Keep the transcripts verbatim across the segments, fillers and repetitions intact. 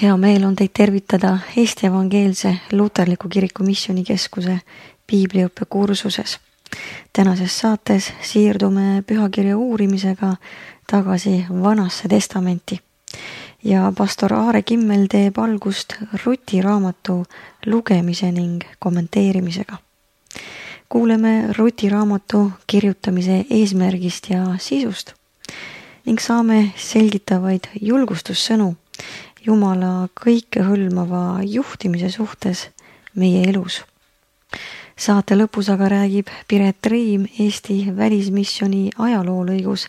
Hea meel on teid tervitada Eesti Evangeelse Luterliku Kiriku Missioonikeskuse piibliõppe kursuses. Tänases saates siirdume pühakirja uurimisega tagasi Vanasse Testamenti ja pastor Aare Kimmel teeb algust Ruti raamatu lugemise ning kommenteerimisega. Kuuleme Ruti raamatu kirjutamise eesmärgist ja sisust ning saame selgitavaid julgustussõnu Jumala kõikehõlmava juhtimise suhtes meie elus. Saate lõpus aga räägib Piret Reim Eesti välismissiooni ajaloolõigus,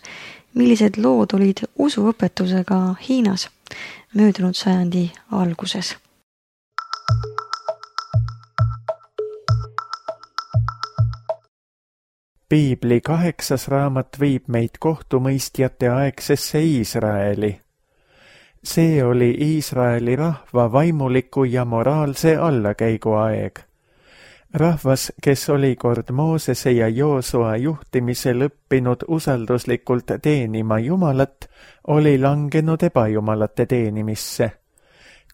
millised lood olid usuõpetusega Hiinas möödunud sajandi alguses. Piibli kaheksas raamat viib meid kohtumõistjate aegsesse Iisraeli. See oli Iisraeli rahva vaimuliku ja moraalse allakäigu aeg. Rahvas, kes oli kord Moosese ja Joosua juhtimisel õppinud usalduslikult teenima Jumalat, oli langenud ebajumalate teenimisse.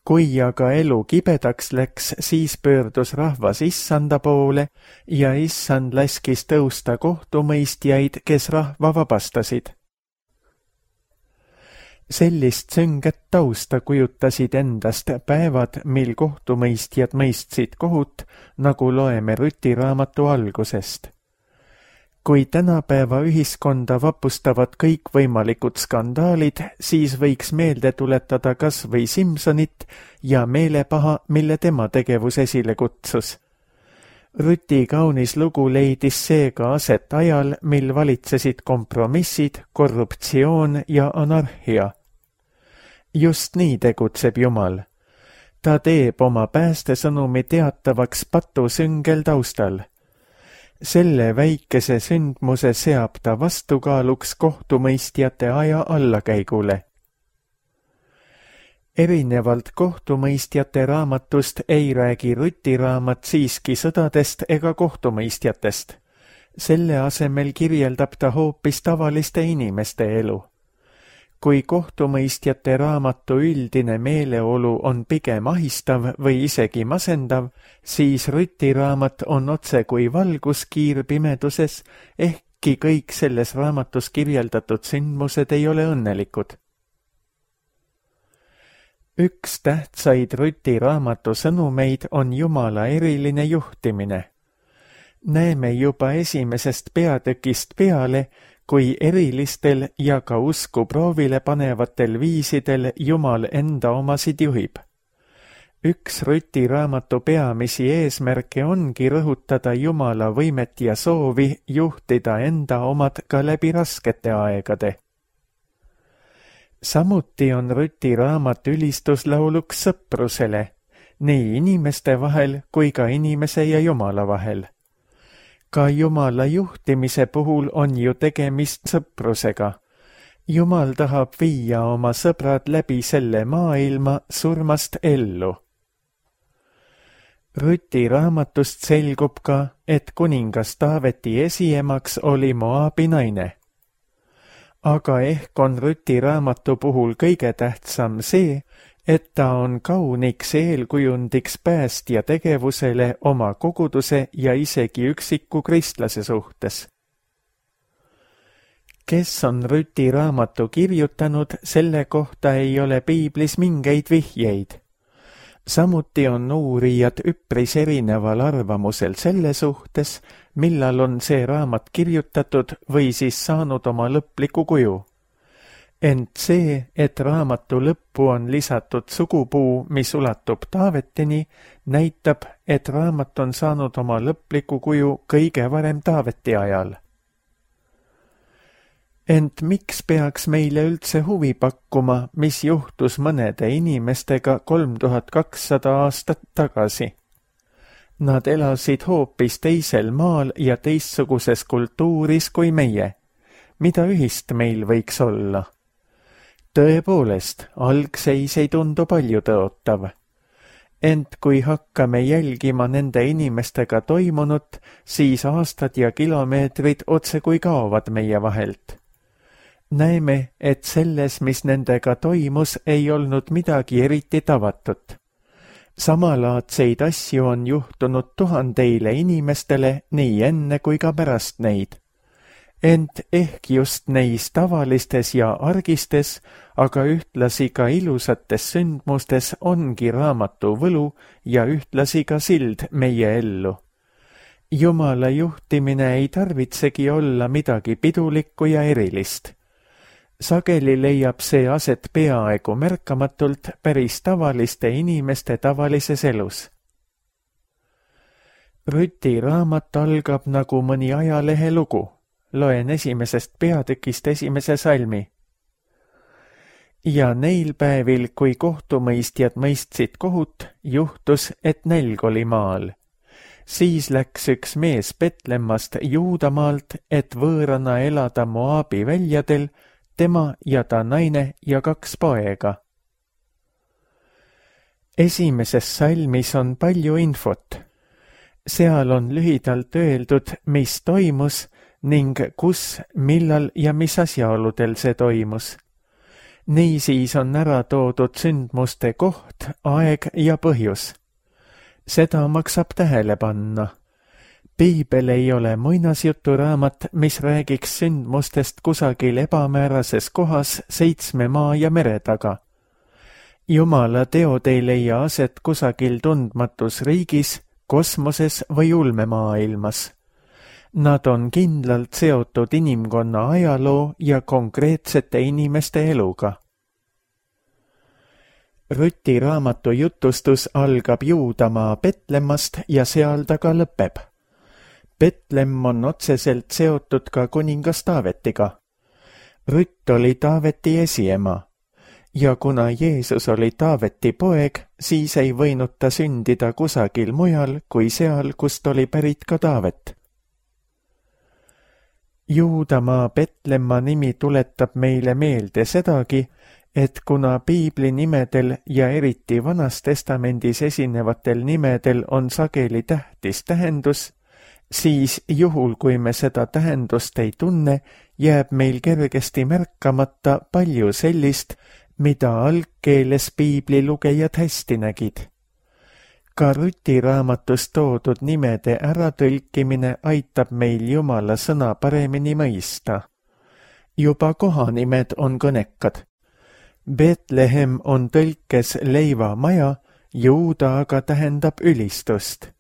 Kui aga elu kibedaks läks, siis pöördus rahvas Issanda poole ja Issand laskis tõusta kohtumõistjaid, kes rahva vabastasid. Sellist sünget tausta kujutasid endast päevad, mil kohtumõistjad mõistsid kohut, nagu loeme Ruti raamatu algusest. Kui tänapäeva ühiskonda vapustavad kõikvõimalikud skandaalid, siis võiks meelde tuletada kas või Simsonit ja meelepaha, mille tema tegevus esile kutsus. Ruti kaunis lugu leidis seega aset ajal, mil valitsesid kompromissid, korruptsioon ja anarhia. Just nii tegutseb Jumal. Ta teeb oma päästesõnumi teatavaks patusüngel taustal. Selle väikese sündmuse seab ta vastukaaluks kohtumõistjate aja allakäigule. Erinevalt kohtumõistjate raamatust ei räägi Ruti raamat siiski sõdadest ega kohtumõistjatest. Selle asemel kirjeldab ta hoopis tavaliste inimeste elu. Kui kohtumõistjate raamatu üldine meeleolu on pigem ahistav või isegi masendav, siis Ruti raamat on otse kui valguskiir pimeduses, ehkki kõik selles raamatus kirjeldatud sündmused ei ole õnnelikud. Üks tähtsaid Ruti raamatu sõnumeid on Jumala eriline juhtimine. Näeme juba esimesest peatükist peale, kui erilistel ja ka usku proovile panevatel viisidel Jumal enda omasid juhib. Üks Ruti raamatu peamisi eesmärke ongi rõhutada Jumala võimet ja soovi juhtida enda omad ka läbi raskete aegade. Samuti on Ruti raamat ülistuslauluks sõprusele, nii inimeste vahel kui ka inimese ja Jumala vahel. Ka Jumala juhtimise puhul on ju tegemist sõprusega. Jumal tahab viia oma sõbrad läbi selle maailma surmast ellu. Ruti raamatust selgub ka, et kuningas Taaveti esiemaks oli Moabi naine. Aga ehk on Ruti raamatu puhul kõige tähtsam see, et ta on kauniks eelkujundiks päästja tegevusele oma koguduse ja isegi üksiku kristlase suhtes. Kes on Ruti raamatu kirjutanud, selle kohta ei ole piiblis mingeid vihjeid. Samuti on uurijad üpris erineval arvamusel selle suhtes, millal on see raamat kirjutatud või siis saanud oma lõpliku kuju. Ent see, et raamatu lõppu on lisatud sugupuu, mis ulatub Taavetini, näitab, et raamat on saanud oma lõpliku kuju kõige varem Taaveti ajal. Ent miks peaks meile üldse huvi pakkuma, mis juhtus mõnede inimestega kolm tuhat kakssada aastat tagasi? Nad elasid hoopis teisel maal ja teistsuguses kultuuris kui meie. Mida ühist meil võiks olla? Tõepoolest, algseis ei tundu palju tõotav. Ent kui hakkame jälgima nende inimestega toimunut, siis aastad ja kilomeetrid otse kui kaovad meie vahelt. näeme, et selles, mis nendega toimus, ei olnud midagi eriti tavatut. Samalaadseid asju on juhtunud tuhandeile inimestele nii enne kui ka pärast neid. Ent ehk just neis tavalistes ja argistes, aga ühtlasi ka ilusates sündmustes ongi raamatu võlu ja ühtlasi ka sild meie ellu. Jumala juhtimine ei tarvitsegi olla midagi pidulikku ja erilist. Sageli leiab see aset peaaegu märkamatult päris tavaliste inimeste tavalises elus. Rüti raamat algab nagu mõni ajalehe lugu. Loen esimesest peatükist esimese salmi. Ja neil päevil, kui kohtumõistjad mõistsid kohut, juhtus, et nälg oli maal. Siis läks üks mees Betlemmast Juudamaalt, et võõrana elada Moabi väljadel, tema ja ta naine ja kaks poega. Esimeses salmis on palju infot. Seal on lühidalt öeldud, mis toimus ning kus, millal ja mis asjaoludel see toimus. Niisiis on ära toodud sündmuste koht, aeg ja põhjus. Seda maksab tähele panna. Piibel ei ole muinasjuturaamat, mis räägiks sündmustest kusagil ebamäärases kohas seitsme maa ja mere taga. Jumala teod ei leia aset kusagil tundmatus riigis, kosmoses või ulmemaailmas. Nad on kindlalt seotud inimkonna ajaloo ja konkreetsete inimeste eluga. Rüti raamatu jutustus algab Juudamaa Betlemmast ja seal ta ka lõpeb. Betlemm on otseselt seotud ka kuningas Taavetiga. Rütt oli Taaveti esiema ja kuna Jeesus oli Taaveti poeg, siis ei võinud ta sündida kusagil mujal kui seal, kust oli pärit ka Taavet. Juudamaa Betlemma nimi tuletab meile meelde sedagi, et kuna piibli nimedel ja eriti Vanas Testamendis esinevatel nimedel on sageli tähtis tähendus, siis juhul, kui me seda tähendust ei tunne, jääb meil kergesti märkamata palju sellist, mida algkeeles piibli lugejad hästi nägid. Ka Rüti raamatus toodud nimede äratõlkimine aitab meil Jumala sõna paremini mõista. Juba kohanimed on kõnekad. Betlehem on tõlkes leivamaja, Juuda aga tähendab ülistust.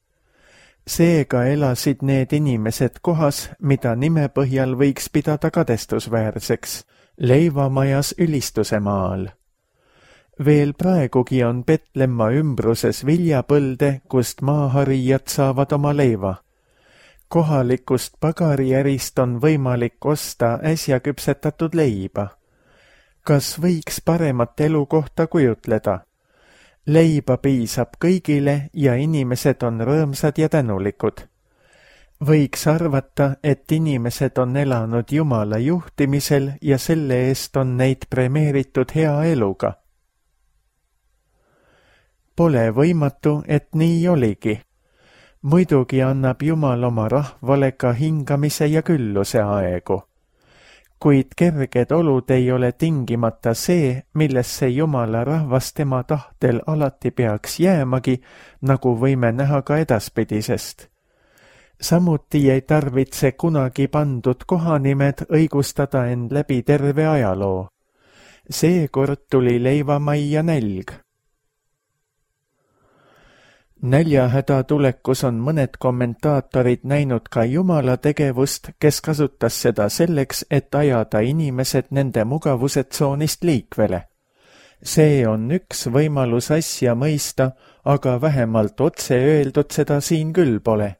Seega elasid need inimesed kohas, mida nime põhjal võiks pidada kadestusväärseks, leivamajas ülistuse maal. Veel praegugi on Betlemma ümbruses viljapõlde, kust maaharijad saavad oma leiva. Kohalikust pagariärist on võimalik osta äsja küpsetatud leiba. Kas võiks paremat elukohta kujutleda? Leiba piisab kõigile ja inimesed on rõõmsad ja tänulikud. Võiks arvata, et inimesed on elanud Jumala juhtimisel ja selle eest on neid premeeritud hea eluga. Pole võimatu, et nii oligi. Muidugi annab Jumal oma rahvale ka hingamise ja külluse aegu. Kuid kerged olud ei ole tingimata see, millesse Jumala rahvas tema tahtel alati peaks jäämagi, nagu võime näha ka edaspidisest. Samuti ei tarvitse kunagi pandud kohanimed õigustada end läbi terve ajaloo. Seekord tuli leivamajja nälg. Näljahäda tulekus on mõned kommentaatorid näinud ka Jumala tegevust, kes kasutas seda selleks, et ajada inimesed nende mugavustsoonist liikvele. See on üks võimalus asja mõista, aga vähemalt otse öeldud seda siin küll pole.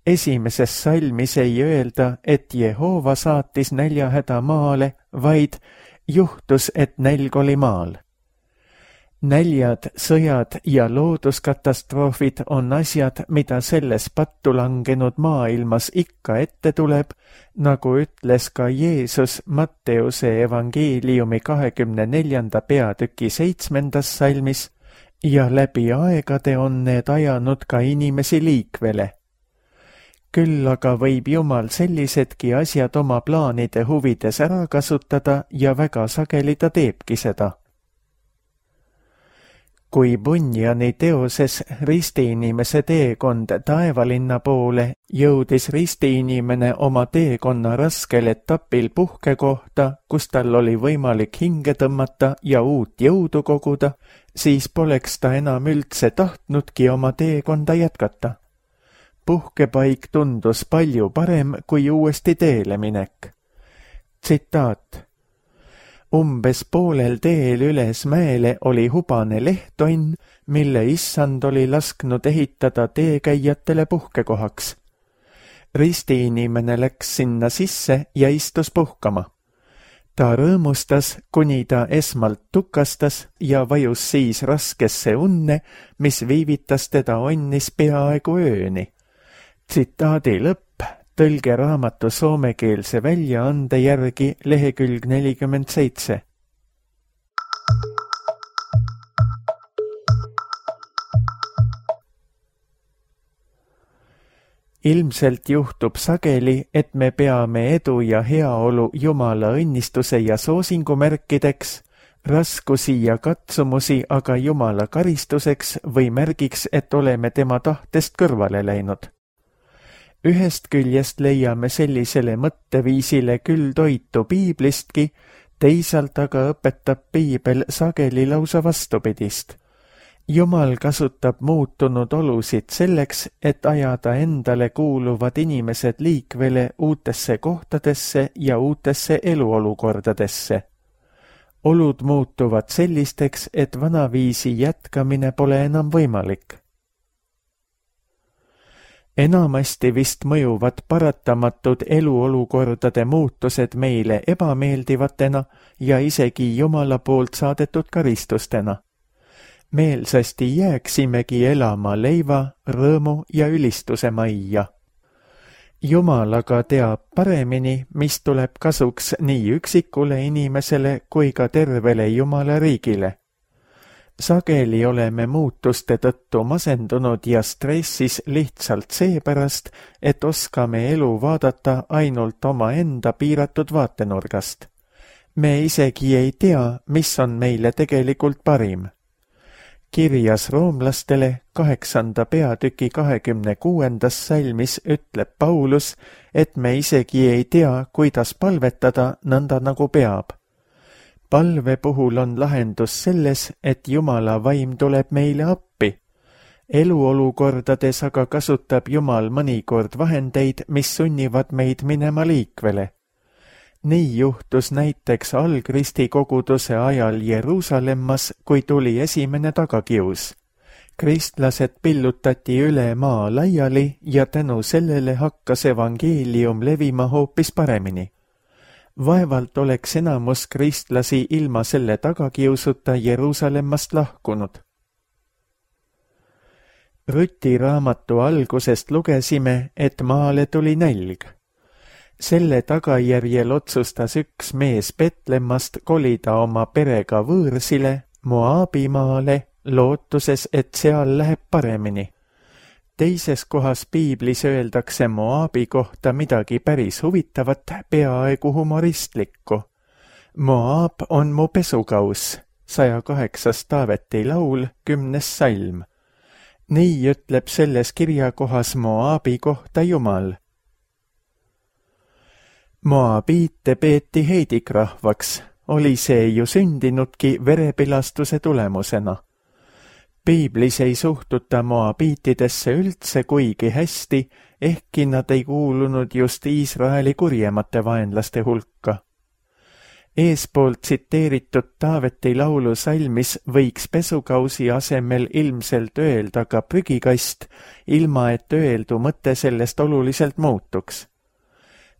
Esimeses salmis ei öelda, et Jehova saatis näljahäda maale, vaid juhtus, et nälg oli maal. Näljad, sõjad ja looduskatastroofid on asjad, mida selles pattu langenud maailmas ikka ette tuleb, nagu ütles ka Jeesus Matteuse evangeeliumi kahekümne neljanda peatüki seitsmendas salmis, ja läbi aegade on need ajanud ka inimesi liikvele. Küll aga võib Jumal sellisedki asjad oma plaanide huvides ära kasutada ja väga sageli ta teebki seda. Kui Bunjani teoses ristiinimese teekond taevalinna poole jõudis ristiinimene oma teekonna raskel etapil puhkekohta, kus tal oli võimalik hinge tõmmata ja uut jõudu koguda, siis poleks ta enam üldse tahtnudki oma teekonda jätkata. Puhkepaik tundus palju parem kui uuesti teele minek. Tsitaat. Umbes poolel teel üles mäele oli hubane lehtonn, mille issand oli lasknud ehitada teekäijatele puhkekohaks. Ristiinimene läks sinna sisse ja istus puhkama. Ta rõõmustas, kuni ta esmalt tukastas ja vajus siis raskesse unne, mis viivitas teda onnis peaaegu ööni. Tsitaadi lõpp. Tõlge raamatu soomekeelse väljaande järgi lehekülg nelikümmend seitse. Ilmselt juhtub sageli, et me peame edu ja heaolu Jumala õnnistuse ja soosingu märkideks, raskusi ja katsumusi aga Jumala karistuseks või märgiks, et oleme tema tahtest kõrvale läinud. Ühest küljest leiame sellisele mõtteviisile küll toitu piiblistki, teisalt aga õpetab piibel sageli lausa vastupidist. Jumal kasutab muutunud olusid selleks, et ajada endale kuuluvad inimesed liikvele uutesse kohtadesse ja uutesse eluolukordadesse. Olud muutuvad sellisteks, et vanaviisi jätkamine pole enam võimalik. Enamasti vist mõjuvad paratamatud eluolukordade muutused meile ebameeldivatena ja isegi Jumala poolt saadetud karistustena. Meelsasti jääksimegi elama leiva, rõõmu ja ülistuse majja. Jumal aga teab paremini, mis tuleb kasuks nii üksikule inimesele kui ka tervele Jumala riigile. Sageli oleme muutuste tõttu masendunud ja stressis lihtsalt seepärast, et oskame elu vaadata ainult oma enda piiratud vaatenurgast. Me isegi ei tea, mis on meile tegelikult parim. Kirjas roomlastele kaheksanda peatüki kahekümne kuuendas salmis ütleb Paulus, et me isegi ei tea, kuidas palvetada nõnda nagu peab. Palve puhul on lahendus selles, et Jumala vaim tuleb meile appi. Eluolukordades aga kasutab Jumal mõnikord vahendeid, mis sunnivad meid minema liikvele. Nii juhtus näiteks algristi koguduse ajal Jeruusalemmas, kui tuli esimene tagakius. Kristlased pillutati üle maa laiali ja tänu sellele hakkas evangeelium levima hoopis paremini. Vaevalt oleks enamus kristlasi ilma selle tagakiusuta Jeruusalemmast lahkunud. Rüti raamatu algusest lugesime, et maale tuli nälg. Selle tagajärjel otsustas üks mees Betlemmast kolida oma perega võõrsile, Moabimaale, lootuses, et seal läheb paremini. Teises kohas piiblis öeldakse Moabi kohta midagi päris huvitavat, peaaegu humoristlikku. Moab on mu pesukauss, saja kaheksas Taaveti laul, kümnes salm. Nii ütleb selles kirjakohas Moabi kohta Jumal. Moabiite peeti heidikrahvaks, oli see ju sündinudki verepilastuse tulemusena. Piiblis ei suhtuta moabiitidesse üldse kuigi hästi, ehkki nad ei kuulunud just Iisraeli kurjemate vaenlaste hulka. Eespoolt tsiteeritud Taaveti laulu salmis võiks pesukausi asemel ilmselt öelda ka prügikast, ilma et öeldu mõte sellest oluliselt muutuks.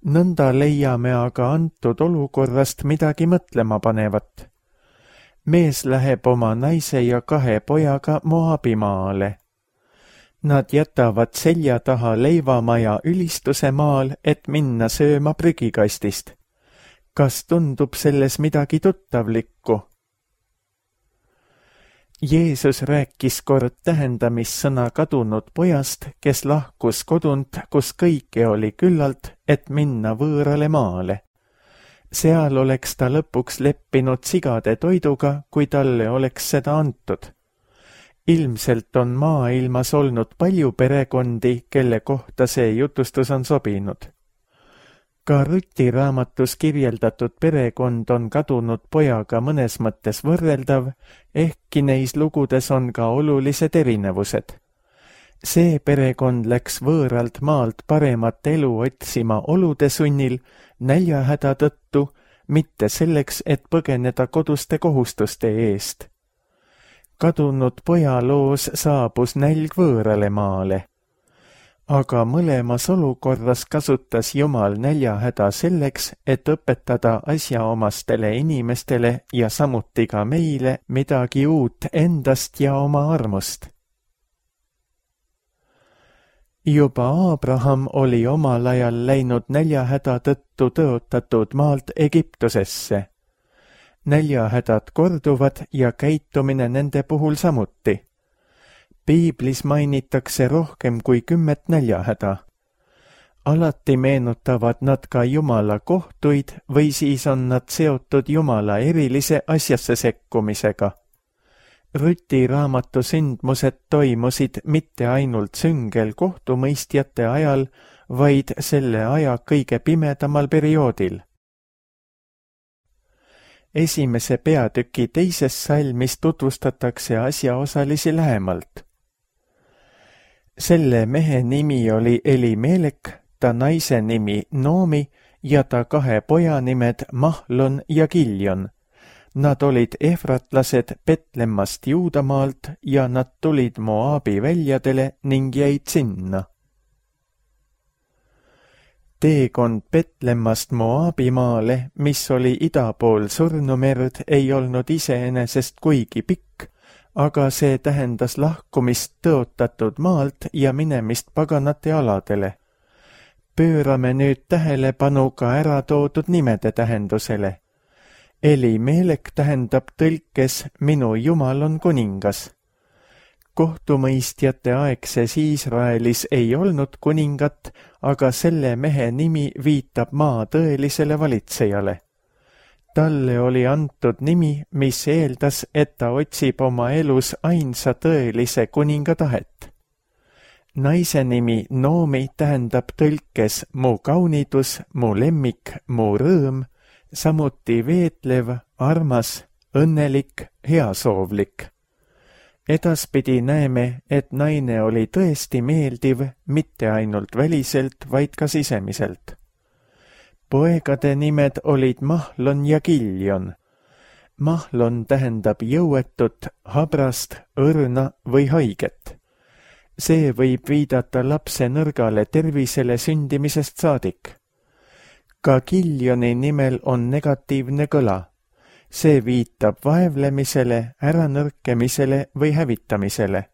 Nõnda leiame aga antud olukorrast midagi mõtlema panevat. Mees läheb oma naise ja kahe pojaga Moabimaale. Nad jätavad selja taha leivamaja ülistuse maal, et minna sööma prügikastist. Kas tundub selles midagi tuttavlikku? Jeesus rääkis kord tähendamissõna kadunud pojast, kes lahkus kodunt, kus kõike oli küllalt, et minna võõrale maale. Seal oleks ta lõpuks leppinud sigade toiduga, kui talle oleks seda antud. Ilmselt on maailmas olnud palju perekondi, kelle kohta see jutustus on sobinud. Ka Ruti raamatus kirjeldatud perekond on kadunud pojaga mõnes mõttes võrreldav, ehkki neis lugudes on ka olulised erinevused. See perekond läks võõralt maalt paremat elu otsima olude sunnil, näljahäda tõttu, mitte selleks, et põgeneda koduste kohustuste eest. Kadunud poja loos saabus nälg võõrale maale. Aga mõlemas olukorras kasutas Jumal näljahäda selleks, et õpetada asjaomastele inimestele ja samuti ka meile midagi uut endast ja oma armust. Juba Abraham oli omal ajal läinud näljahäda tõttu tõotatud maalt Egiptusesse. Näljahädad korduvad ja käitumine nende puhul samuti. Piiblis mainitakse rohkem kui kümmet näljahäda. Alati meenutavad nad ka Jumala kohtuid või siis on nad seotud Jumala erilise asjasse sekkumisega. Ruti raamatu sündmused toimusid mitte ainult süngel kohtumõistjate ajal, vaid selle aja kõige pimedamal perioodil. Esimese peatüki teises salmis tutvustatakse asjaosalisi lähemalt. Selle mehe nimi oli Elimelek, ta naise nimi Noomi ja ta kahe poja nimed Mahlon ja Kiljon. Nad olid efratlased Betlemmast Juudamaalt ja nad tulid Moabi väljadele ning jäid sinna. Teekond Betlemmast Moabimaale, mis oli ida pool Surnumerd, ei olnud iseenesest kuigi pikk, aga see tähendas lahkumist tõotatud maalt ja minemist paganate aladele. Pöörame nüüd tähelepanu ka ära toodud nimede tähendusele. Elimelek tähendab tõlkes minu Jumal on kuningas. Kohtumõistjate aegses Iisraelis ei olnud kuningat, aga selle mehe nimi viitab maa tõelisele valitsejale. Talle oli antud nimi, mis eeldas, et ta otsib oma elus ainsa tõelise kuninga tahet. Naise nimi Noomi tähendab tõlkes mu kaunidus, mu lemmik, mu rõõm, samuti veetlev, armas, õnnelik, heasoovlik. Edaspidi näeme, et naine oli tõesti meeldiv, mitte ainult väliselt, vaid ka sisemiselt. Poegade nimed olid Mahlon ja Kiljon. Mahlon tähendab jõuetut, habrast, õrna või haiget. See võib viidata lapse nõrgale tervisele sündimisest saadik. Ka Kiljoni nimel on negatiivne kõla. See viitab vaevlemisele, äranõrkemisele või hävitamisele.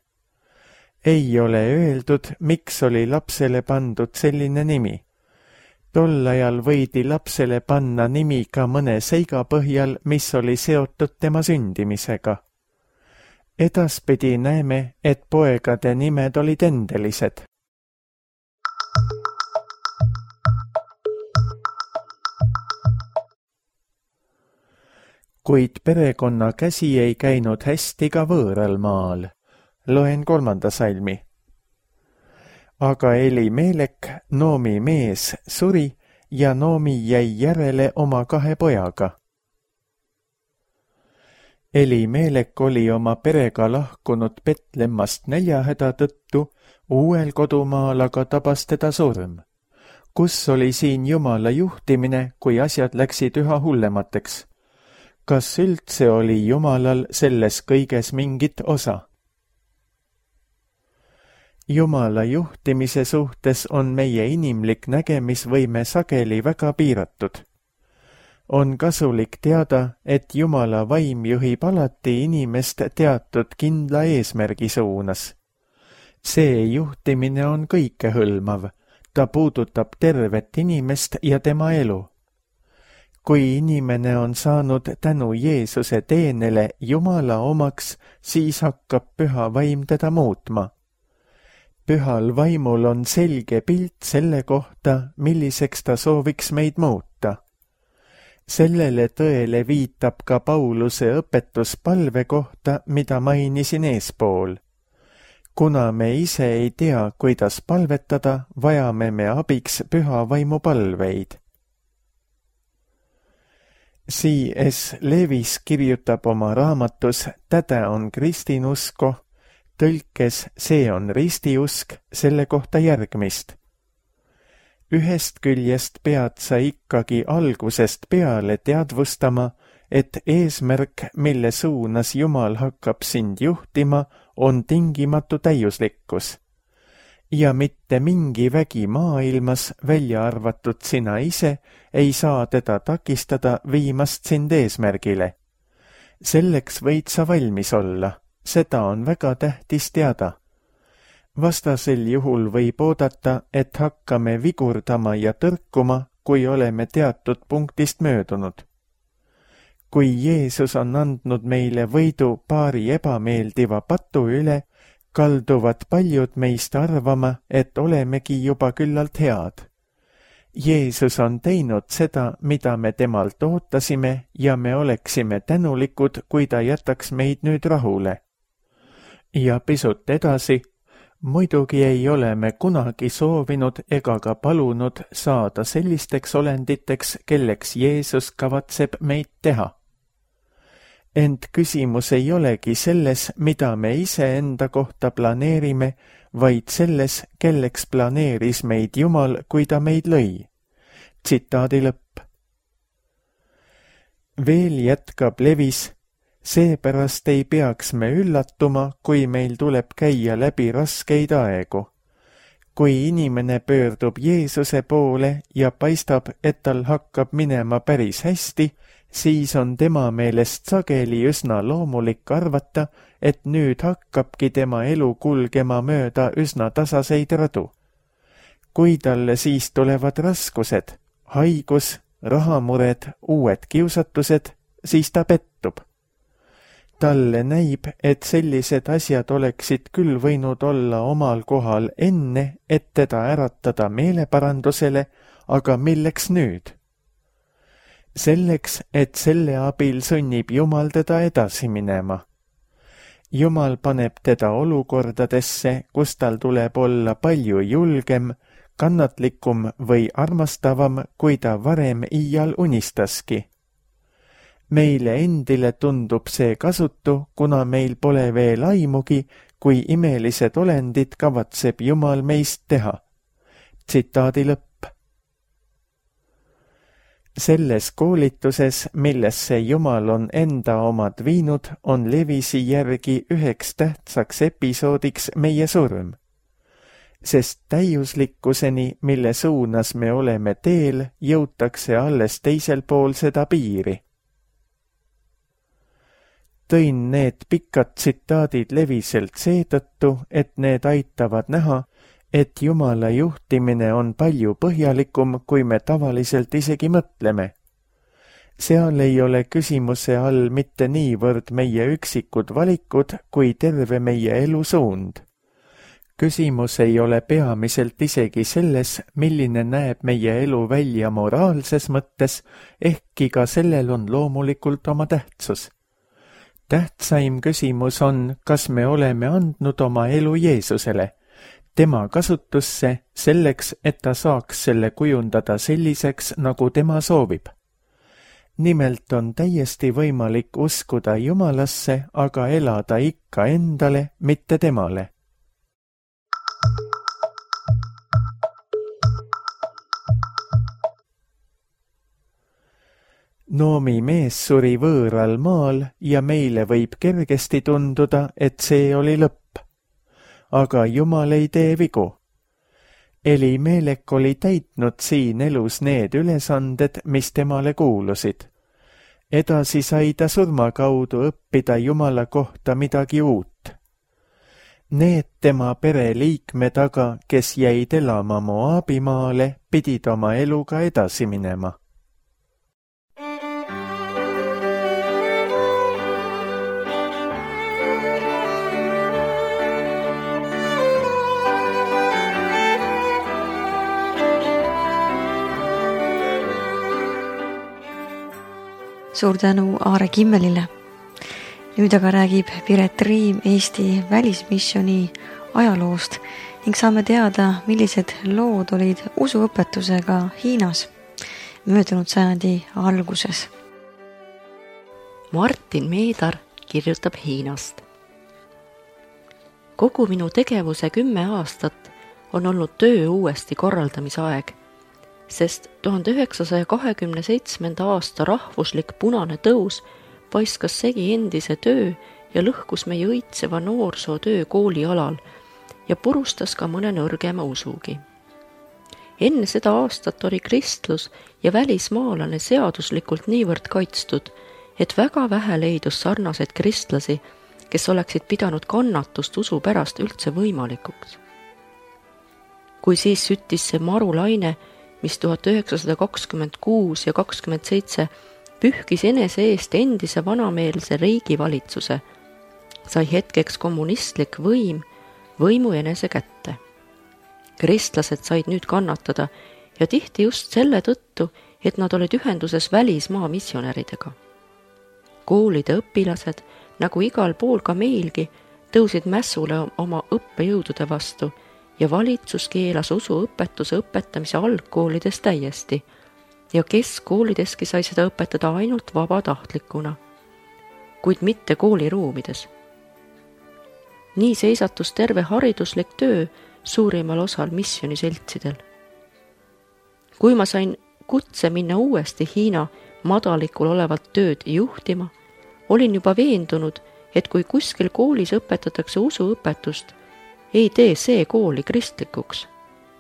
Ei ole öeldud, miks oli lapsele pandud selline nimi. Tol ajal võidi lapsele panna nimi ka mõne seiga põhjal, mis oli seotud tema sündimisega. Edaspidi näeme, et poegade nimed olid endelised. Kuid perekonna käsi ei käinud hästi ka võõral maal. Loen kolmanda salmi. Aga Elimelek, Noomi mees, suri ja Noomi jäi järele oma kahe pojaga. Elimelek oli oma perega lahkunud Betlemmast näljahäda tõttu, uuel kodumaal aga tabas teda surm. Kus oli siin Jumala juhtimine, kui asjad läksid üha hullemateks? Kas üldse oli Jumalal selles kõiges mingit osa? Jumala juhtimise suhtes on meie inimlik nägemisvõime sageli väga piiratud. On kasulik teada, et Jumala vaim juhib alati inimest teatud kindla eesmärgi suunas. See juhtimine on kõikehõlmav, ta puudutab tervet inimest ja tema elu. kui inimene on saanud tänu Jeesuse teenele Jumala omaks, siis hakkab püha vaim teda muutma. Pühal vaimul on selge pilt selle kohta, milliseks ta sooviks meid muuta. Sellele tõele viitab ka Pauluse õpetus palve kohta, mida mainisin eespool. Kuna me ise ei tea, kuidas palvetada, vajame me abiks püha vaimu palveid. C S Lewis kirjutab oma raamatus Täde on kristinusko, tõlkes See on ristiusk selle kohta järgmist. Ühest küljest pead sa ikkagi algusest peale teadvustama, et eesmärk, mille suunas Jumal hakkab sind juhtima, on tingimatu täiuslikkus. Ja mitte mingi vägi maailmas, välja arvatud sina ise, ei saa teda takistada viimast sind eesmärgile. Selleks võid sa valmis olla, seda on väga tähtis teada. Vastasel juhul võib oodata, et hakkame vigurdama ja tõrkuma, kui oleme teatud punktist möödunud. Kui Jeesus on andnud meile võidu paari ebameeldiva patu üle, kalduvad paljud meist arvama, et olemegi juba küllalt head. Jeesus on teinud seda, mida me temalt ootasime ja me oleksime tänulikud, kui ta jätaks meid nüüd rahule. Ja pisut edasi, muidugi ei ole me kunagi soovinud ega ka palunud saada sellisteks olenditeks, kelleks Jeesus kavatseb meid teha. Ent küsimus ei olegi selles, mida me ise enda kohta planeerime, vaid selles, kelleks planeeris meid Jumal, kui ta meid lõi. Tsitaadi lõpp. Veel jätkab Lewis, seepärast ei peaks me üllatuma, kui meil tuleb käia läbi raskeid aegu. Kui inimene pöördub Jeesuse poole ja paistab, et tal hakkab minema päris hästi, siis on tema meelest sageli üsna loomulik arvata, et nüüd hakkabki tema elu kulgema mööda üsna tasaseid radu. Kui talle siis tulevad raskused, haigus, rahamured, uued kiusatused, siis ta pettub. Talle näib, et sellised asjad oleksid küll võinud olla omal kohal enne, et teda äratada meeleparandusele, aga milleks nüüd? Selleks, et selle abil sunnib Jumal teda edasi minema. Jumal paneb teda olukordadesse, kus tal tuleb olla palju julgem, kannatlikum või armastavam, kui ta varem iial unistaski. Meile endile tundub see kasutu, kuna meil pole veel aimugi, kui imelised olendid kavatseb Jumal meist teha. Tsitaadi lõpp. Selles koolituses, millesse Jumal on enda omad viinud, on Lewisi järgi üheks tähtsaks episoodiks meie surm. Sest täiuslikkuseni, mille suunas me oleme teel, jõutakse alles teisel pool seda piiri. Tõin need pikad tsitaadid Leviselt seetõttu, et need aitavad näha, et Jumala juhtimine on palju põhjalikum, kui me tavaliselt isegi mõtleme. Seal ei ole küsimuse all mitte niivõrd meie üksikud valikud, kui terve meie elu suund. Küsimus ei ole peamiselt isegi selles, milline näeb meie elu välja moraalses mõttes, ehkki ka sellel on loomulikult oma tähtsus. Tähtsaim küsimus on, kas me oleme andnud oma elu Jeesusele, tema kasutusse selleks, et ta saaks selle kujundada selliseks, nagu tema soovib. Nimelt on täiesti võimalik uskuda Jumalasse, aga elada ikka endale, mitte temale. Noomi mees suri võõral maal ja meile võib kergesti tunduda, et see oli lõpp. Aga Jumal ei tee vigu. Elimelek oli täitnud siin elus need ülesanded, mis temale kuulusid. Edasi sai ta surma kaudu õppida Jumala kohta midagi uut. Need tema pereliikmed aga, kes jäid elama Moabimaale, pidid oma eluga edasi minema. suur tänu Aare Kimmelile. Nüüd aga räägib Piret Riim Eesti välismisjoni ajaloost ning saame teada, millised lood olid usuõpetusega Hiinas möödunud sajandi alguses. Martin Meedar kirjutab Hiinast. Kogu minu tegevuse kümme aastat on olnud töö uuesti korraldamise aeg, sest tuhande üheksasaja kahekümne seitsmenda aasta rahvuslik punane tõus paiskas segi endise töö ja lõhkus meie õitseva noorsootöö kooli alal ja purustas ka mõne nõrgema usugi. Enne seda aastat oli kristlus ja välismaalane seaduslikult niivõrd kaitstud, et väga vähe leidus sarnaseid kristlasi, kes oleksid pidanud kannatust usu pärast üldse võimalikuks. Kui siis süttis see marulaine, mis tuhat üheksasada kakskümmend kuus ja kakskümmend seitse pühkis enese eest endise vanameelse riigivalitsuse, sai hetkeks kommunistlik võim võimu enese kätte. Kristlased said nüüd kannatada ja tihti just selle tõttu, et nad olid ühenduses välismaa missionäridega. Koolide õpilased, nagu igal pool ka meilgi, tõusid mässule oma õppejõudude vastu ja valitsus keelas usuõpetuse õpetamise algkoolides täiesti ja keskkoolideski sai seda õpetada ainult vabatahtlikuna, kuid mitte kooliruumides. Nii seisatus terve hariduslik töö suurimal osal missioniseltsidel. Kui ma sain kutse minna uuesti Hiina madalikul olevat tööd juhtima, olin juba veendunud, et kui kuskil koolis õpetatakse usuõpetust, ei tee see kooli kristlikuks,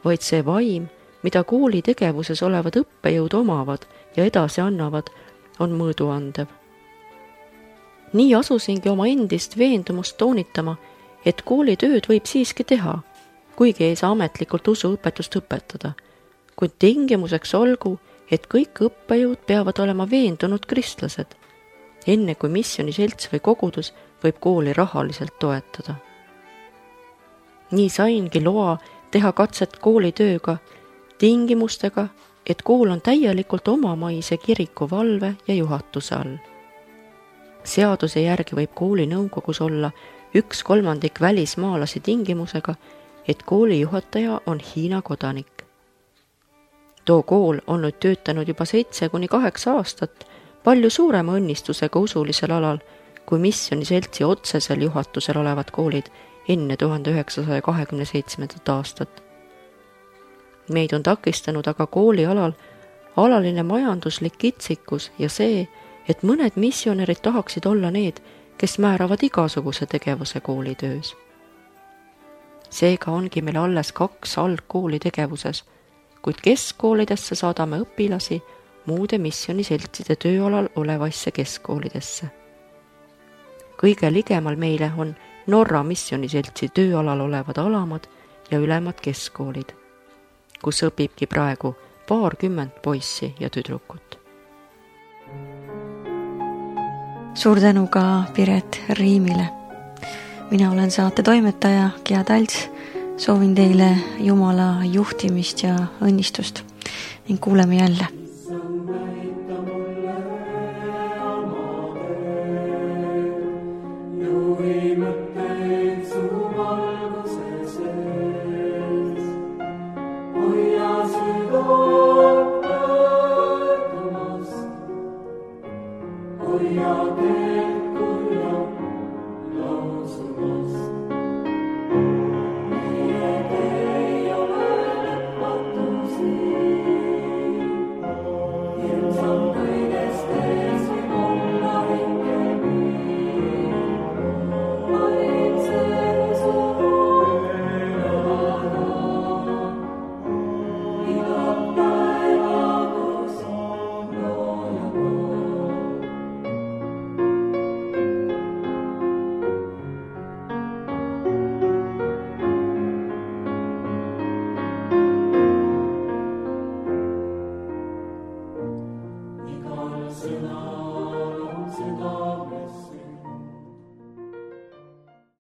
vaid see vaim, mida kooli tegevuses olevad õppejõud omavad ja edasi annavad, on mõõduandev. Nii asusingi oma endist veendumust toonitama, et koolitööd võib siiski teha, kuigi ei saa ametlikult usuõpetust õpetada, kuid tingimuseks olgu, et kõik õppejõud peavad olema veendunud kristlased, enne kui missioniselts või kogudus võib kooli rahaliselt toetada. Nii saingi loa teha katset koolitööga tingimustega, et kool on täielikult omamaise kiriku valve ja juhatuse all. Seaduse järgi võib kooli nõukogus olla üks kolmandik välismaalasi tingimusega, et kooli juhataja on Hiina kodanik. Too kool on nüüd töötanud juba seitse kuni kaheksa aastat palju suurema õnnistusega usulisel alal kui missioniseltsi otsesel juhatusel olevad koolid enne tuhande üheksasaja kahekümne seitsmendat aastat. Meid on takistanud aga kooli alal alaline majanduslik kitsikus ja see, et mõned missionärid tahaksid olla need, kes määravad igasuguse tegevuse koolitöös. Seega ongi meil alles kaks algkooli tegevuses, kuid keskkoolidesse saadame õpilasi muude missioniseltside tööalal olevaisse keskkoolidesse. Kõige ligemal meile on Norra missioniseltsi tööalal olevad alamad ja ülemad keskkoolid, kus õpibki praegu paarkümmend poissi ja tüdrukut. Suur tänu ka Piret Riimile. Mina olen saate toimetaja Gea Talts. Soovin teile Jumala juhtimist ja õnnistust ning kuuleme jälle.